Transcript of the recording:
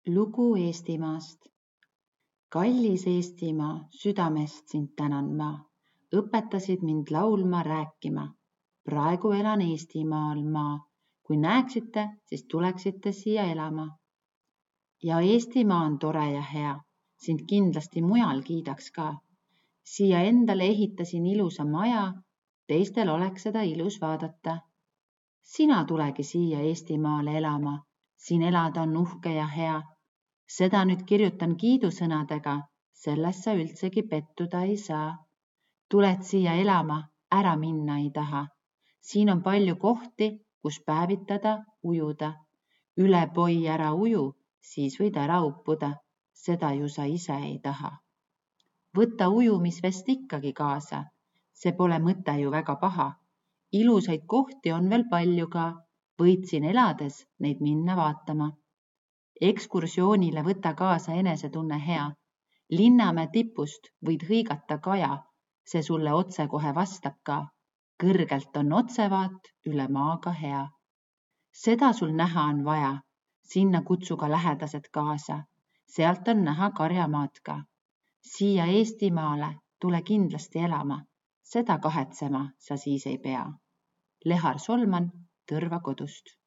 Lugu Eestimaast. Kallis Eestimaa, südamest sind tänan ma. Õpetasid mind laulma, rääkima. Praegu elan Eestimaal ma. Kui näeksite, siis tuleksite siia elama. Ja Eestimaa on tore ja hea. Sind kindlasti mujal kiidaks ka. Siia endale ehitasin ilusa maja. Teistel oleks seda ilus vaadata. Sina tulegi siia Eestimaale elama. Siin elada on uhke ja hea. Seda nüüd kirjutan kiidusõnadega, selles sa üldsegi pettuda ei saa. Tuled siia elama, ära minna ei taha. Siin on palju kohti, kus päevitada, ujuda. Üle poi ära uju, siis võid ära uppuda. Seda ju sa ise ei taha. Võta ujumisvest ikkagi kaasa. See pole mõte ju väga paha. Ilusaid kohti on veel palju ka. Võid siin elades neid minna vaatama. Ekskursioonile võta kaasa enesetunne hea. Linnamäe tipust võid hõigata kaja, see sulle otse kohe vastab ka. Kõrgelt on otsevaat, üle maaga hea. Seda sul näha on vaja, sinna kutsu ka lähedased kaasa. Sealt on näha Karjamaad ka. Siia Eestimaale tule kindlasti elama, seda kahetsema sa siis ei pea. Lehar Solman Tõrva kodust.